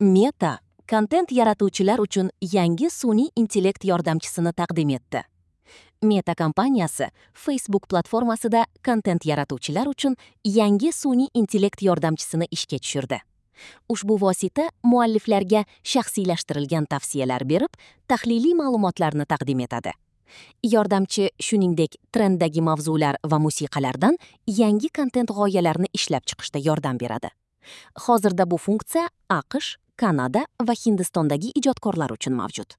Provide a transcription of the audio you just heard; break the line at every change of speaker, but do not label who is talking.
Meta kontent yaratuvchilar uchun yangi sun'iy intellekt yordamchisini taqdim etdi. Meta kompaniyasi Facebook platformasida kontent yaratuvchilar uchun yangi sun'iy intellekt yordamchisini ishga tushirdi. Ushbu vosita mualliflarga shaxsiylashtirilgan tavsiyalar berib, tahliliy ma'lumotlarni taqdim etadi. Yordamchi shuningdek trenddagi mavzular va musiqalardan yangi kontent g'oyalarini ishlab chiqishda yordam beradi. Hozirda bu funksiya AQSh, Kanada va Hindistondagi ijodkorlar uchun mavjud.